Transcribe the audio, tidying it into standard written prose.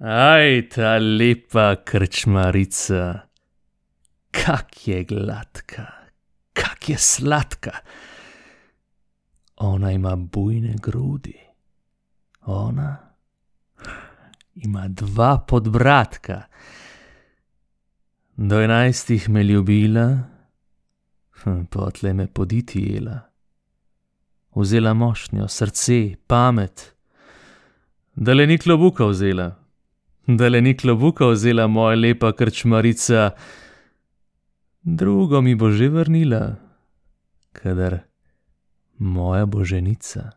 Aj, ta lepa krčmarica, kak je gladka, kak je sladka. Ona ima bujne grudi, ona ima 2 podbradka. Do 11 me ljubila, potle me poditi jela. Vzela mošnjo, srce, pamet, dale ni klobuka vzela. Dale ni klobuka vzela moja lepa krčmarica, drugo mi bo že vrnila, kadar moja bo ženica.